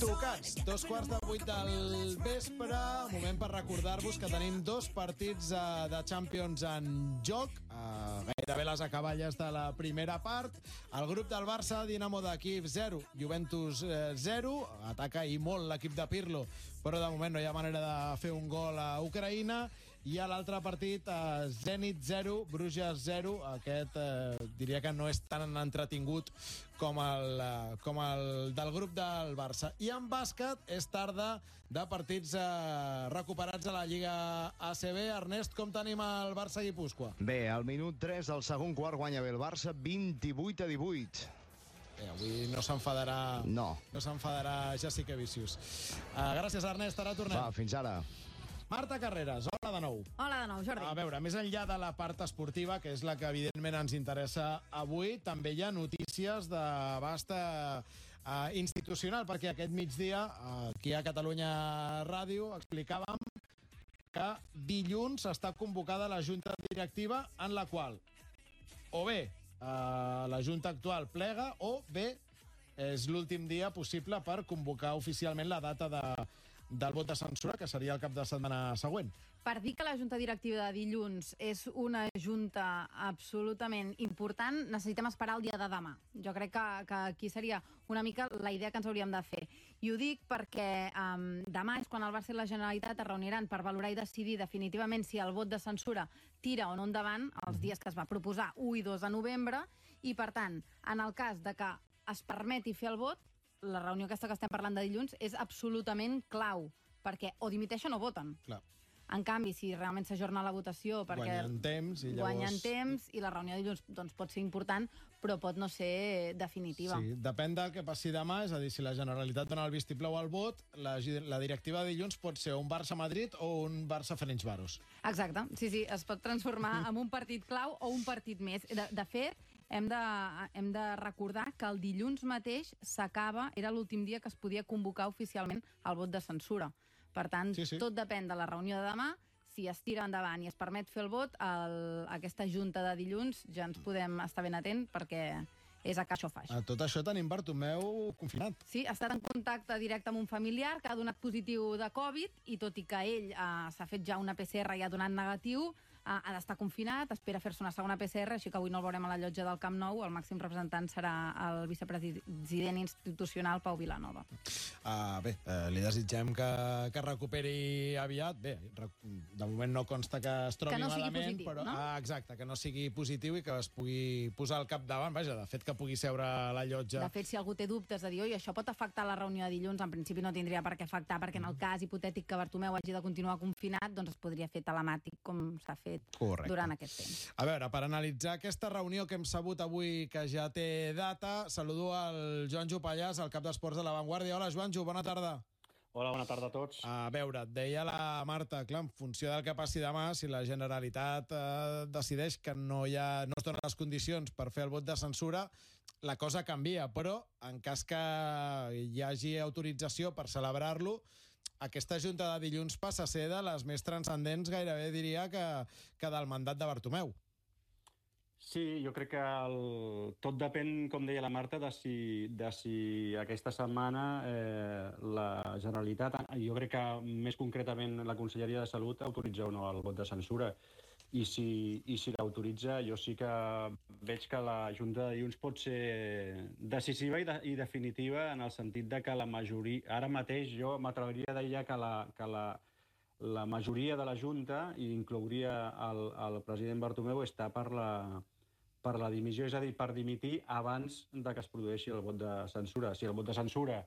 Tocats, 7:45 del vespre, moment per recordar-vos que tenim dos partits de Champions en joc, gairebé les acaballes de la primera part. El grup del Barça, Dinamo de Kíev 0, Juventus 0, ataca i molt l'equip de Pirlo, però de moment no hi ha manera de fer un gol a Ucraïna. I a l'altre partit, Zenit 0, Bruges 0. Aquest diria que no és tan entretingut com el del grup del Barça. I en bàsquet és tarda de partits recuperats a la Lliga ACB. Ernest, com tenim el Barça-Guipúscoa? Bé, al minut 3 del segon quart guanya bé el Barça 28-18. Avui no s'enfadarà... No s'enfadarà Jessica Vicius. Gràcies, Ernest. Ara tornem. Va, fins ara. Marta Carreras, hola de nou. Hola de nou, Jordi. A veure, més enllà de la part esportiva, que és la que evidentment ens interessa avui, també hi ha notícies d'abast institucional, perquè aquest migdia, aquí a Catalunya Ràdio, explicàvem que dilluns està convocada la Junta Directiva, en la qual o bé la Junta actual plega o bé és l'últim dia possible per convocar oficialment la data del vot de censura, que seria el cap de setmana següent. Per dir que la Junta Directiva de dilluns és una junta absolutament important, necessitem esperar el dia de demà. Jo crec que aquí seria una mica la idea que ens hauríem de fer. I ho dic perquè demà és quan el Barça i la Generalitat es reuniran per valorar i decidir definitivament si el vot de censura tira o no endavant els dies que es va proposar, 1 i 2 de novembre, i per tant, en el cas de que es permeti fer el vot, la reunió aquesta que estem parlant de dilluns és absolutament clau, perquè o dimiteixen o voten. Clar. En canvi, si realment s'ajorna la votació perquè guanyen temps i llavors... guanyen temps i la reunió de dilluns doncs, pot ser important, però pot no ser definitiva. Sí, depèn del que passi demà, és a dir, si la Generalitat dona el vistiplau al vot, la directiva de dilluns pot ser un Barça-Madrid o un Barça-Ferencváros. Exacte, sí, es pot transformar en un partit clau o un partit més. De fet, hem de recordar que el dilluns mateix era l'últim dia que es podia convocar oficialment el vot de censura. Per tant, sí. Tot depèn de la reunió de demà. Si es tira endavant i es permet fer el vot, aquesta junta de dilluns ja ens podem estar ben atent perquè és a caixo faix. A tot això tenim Bartomeu confinat. Sí, ha estat en contacte directe amb un familiar que ha donat positiu de Covid i tot i que ell s'ha fet ja una PCR i ha donat negatiu, ha d'estar confinat, espera fer-se una segona PCR, així que avui no el veurem a la llotja del Camp Nou. El màxim representant serà el vicepresident institucional, Pau Vilanova. Bé, li desitgem que recuperi aviat. Bé, de moment no consta que es trobi malament, positiu, però no? Exacte, que no sigui positiu i que es pugui posar al capdavant. Vaja, de fet, que pugui seure a la llotja. De fet, si algú té dubtes de dir, oi, això pot afectar la reunió de dilluns, en principi no tindria per què afectar, perquè en el cas hipotètic que Bartomeu hagi de continuar confinat, doncs es podria fer telemàtic, com s'ha fet durant aquest temps. A veure, per analitzar aquesta reunió que hem sabut avui que ja té data, saludo al Joanjo Pallàs, el cap d'esports de La Vanguardia. Hola, Joanjo, bona tarda. Hola, bona tarda a tots. A veure, et deia la Marta, clar, en funció del que passi demà, si la Generalitat decideix que no es donen les condicions per fer el vot de censura, la cosa canvia, però en cas que hi hagi autorització per celebrar-lo, aquesta junta de dilluns passa a ser de les més transcendents, gairebé diria que del mandat de Bartomeu. Sí, jo crec que tot depèn, com deia la Marta, de si aquesta setmana la Generalitat, jo crec que més concretament la Conselleria de Salut, autoritza o no el vot de censura. I si l'autoritza, jo sí que veig que la Junta de dilluns pot ser decisiva i definitiva en el sentit de que la majoria... Ara mateix jo m'atreviria a dir ja que la majoria de la Junta, i inclouria el president Bartomeu, està per la dimissió, és a dir, per dimitir abans de que es produeixi el vot de censura. Si el vot de censura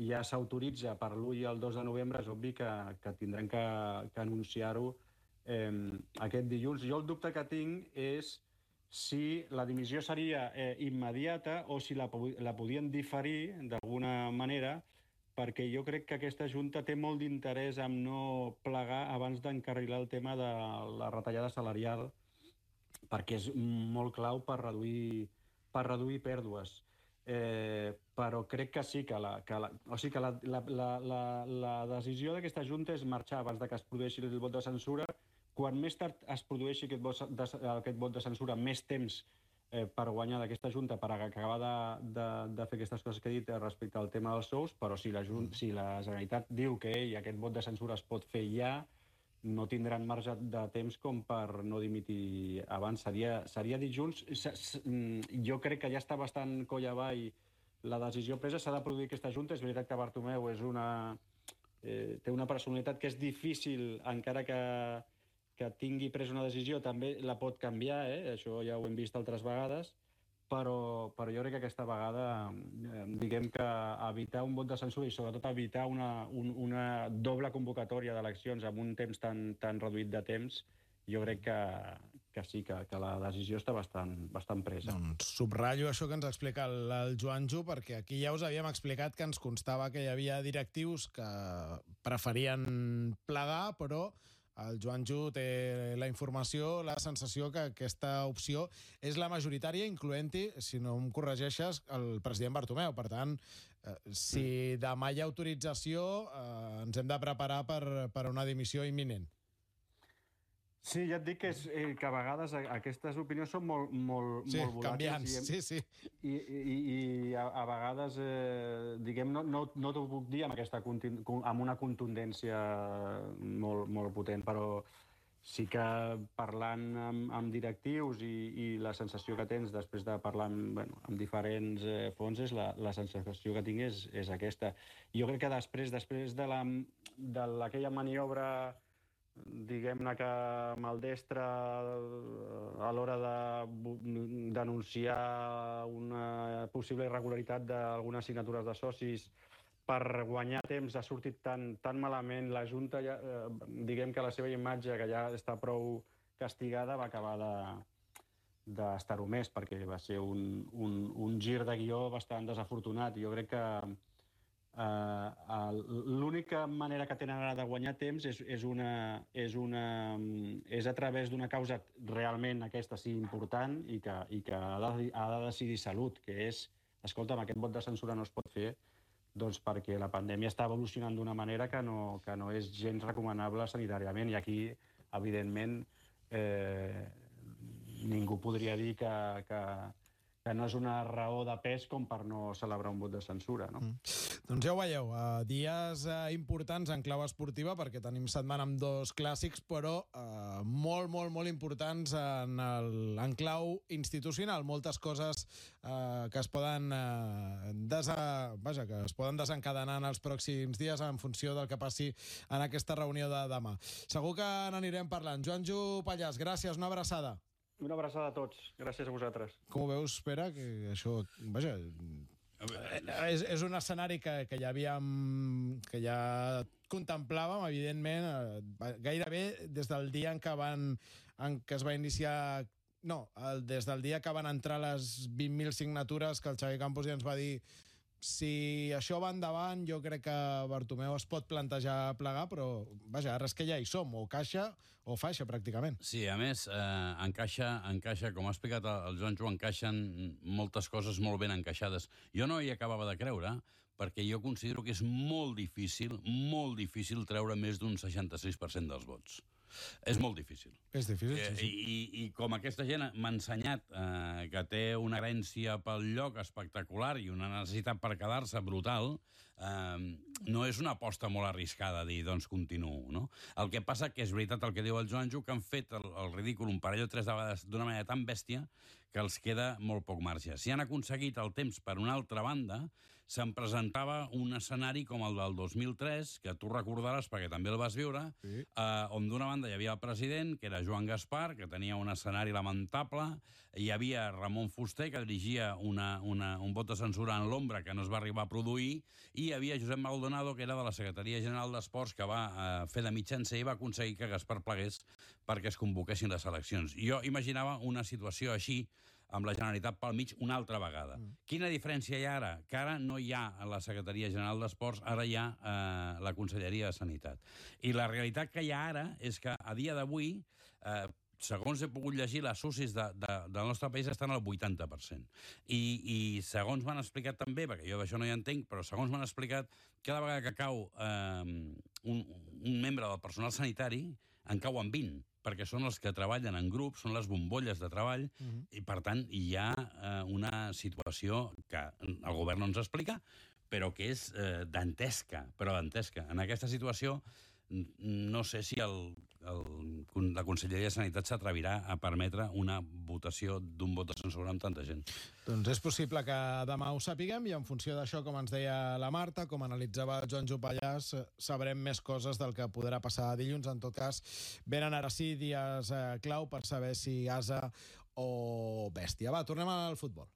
ja s'autoritza per l'1 i el 2 de novembre, és obvi que tindrem que anunciar-ho aquest dilluns. Jo el dubte que tinc és si la dimissió seria immediata o si la podien diferir d'alguna manera, perquè jo crec que aquesta Junta té molt d'interès en no plegar abans d'encarrilar el tema de la retallada salarial, perquè és molt clau per reduir pèrdues. Però crec que sí, que la decisió d'aquesta Junta és marxar abans de que es produeixi el vot de censura. Quan més tard es produeixi aquest vot de censura, més temps per guanyar d'aquesta Junta, per acabar de fer aquestes coses que he dit respecte al tema dels sous, però si la Generalitat diu que aquest vot de censura es pot fer ja, no tindran marge de temps com per no dimitir abans. Seria dilluns. Jo crec que ja està bastant coll avall la decisió presa. S'ha de produir aquesta Junta. És veritat que Bartomeu té una personalitat que és difícil, encara que tingui pres una decisió, també la pot canviar, això ja ho hem vist altres vegades, però jo crec que aquesta vegada, diguem que evitar un vot de censura i sobretot evitar una doble convocatòria d'eleccions amb un temps tan reduït de temps, jo crec que sí, que la decisió està bastant presa. Doncs subratllo això que ens explica el Joanjo, perquè aquí ja us havíem explicat que ens constava que hi havia directius que preferien plegar, però el Joanjo té la informació, la sensació que aquesta opció és la majoritària, incloent-hi, si no em corregeixes, el president Bartomeu. Per tant, si demà hi ha autorització, ens hem de preparar per una dimissió imminent. Sí, ja et dic que a vegades aquestes opinions són molt volàtils. Canviants, sí. I a vegades, diguem, no t'ho puc dir amb una contundència molt potent, però sí que parlant amb directius i la sensació que tens després de parlar amb diferents fonts, la sensació que tinc és aquesta. Jo crec que després d'aquella maniobra, diguem-ne que maldestra a l'hora de denunciar una possible irregularitat d'algunes signatures de socis per guanyar temps, ha sortit tan malament. La Junta, diguem que la seva imatge, que ja està prou castigada, va acabar d'estar-ho més, perquè va ser un gir de guió bastant desafortunat. Jo crec que l'única manera que tenen ara de guanyar temps és a través d'una causa realment aquesta sí important i que ha de decidir Salut, que és, escolta'm, aquest vot de censura no es pot fer doncs perquè la pandèmia està evolucionant d'una manera que no és gens recomanable sanitàriament, i aquí, evidentment, ningú podria dir que no és una raó de pes com per no celebrar un vot de censura, no? Doncs ja ho veieu, dies importants en clau esportiva, perquè tenim setmana amb dos clàssics, però molt importants en clau institucional. Moltes coses que es poden desencadenar en els pròxims dies en funció del que passi en aquesta reunió de demà. Segur que n'anirem parlant. Joanjo Pallàs, gràcies, una abraçada. Una abraçada a tots. Gràcies a vosaltres. Com ho veus, Pere? Que això, vaja, és un escenari que ja contemplàvem, evidentment, gairebé des del dia en què es va iniciar... No, des del dia que van entrar les 20.000 signatures, que el Xavi Campos ja ens va dir si això va endavant, jo crec que Bartomeu es pot plantejar plegar, però, vaja, ara és que ja hi som, o caixa o faixa, pràcticament. Sí, a més, encaixa, com ha explicat el Joanjo, encaixen moltes coses molt ben encaixades. Jo no hi acabava de creure, perquè jo considero que és molt difícil treure més d'un 66% dels vots. És molt difícil. És difícil, sí. I com aquesta gent m'ha ensenyat que té una herència pel lloc espectacular i una necessitat per quedar-se brutal, no és una aposta molt arriscada dir, doncs continuo, no? El que passa que és veritat el que diu el Joanjo, que han fet el ridícul un parell o tres de vegades d'una manera tan bèstia que els queda molt poc marge. Si han aconseguit el temps per una altra banda, se'n presentava un escenari com el del 2003, que tu recordaràs perquè també el vas viure, sí. On d'una banda hi havia el president, que era Joan Gaspar, que tenia un escenari lamentable, hi havia Ramon Fuster, que dirigia un vot de censura en l'ombra que no es va arribar a produir, i hi havia Josep Maldonado, que era de la Secretaria General d'Esports, que va fer de mitjancer i va aconseguir que Gaspar plegués perquè es convoquessin les eleccions. Jo imaginava una situació així, amb la Generalitat pel mig una altra vegada. Quina diferència hi ha ara? Que ara no hi ha la Secretaria General d'Esports, ara hi ha la Conselleria de Sanitat. I la realitat que hi ha ara és que a dia d'avui, segons he pogut llegir, les UCIs del nostre país estan al 80%. I segons m'han explicat també, perquè jo d'això no hi entenc, però segons m'han explicat, cada vegada que cau un membre del personal sanitari, en cauen 20. perquè són els que treballen en grup, són les bombolles de treball, i per tant hi ha una situació que el govern no ens explica, però que és dantesca, però dantesca. En aquesta situació no sé si la Conselleria de Sanitat s'atrevirà a permetre una votació d'un vot de censura amb tanta gent. Doncs és possible que demà ho sapiguem i en funció d'això, com ens deia la Marta, com analitzava Joan Jopallàs, sabrem més coses del que podrà passar dilluns. En tot cas, venen ara sí dies clau per saber si asa o bèstia. Va, tornem al futbol.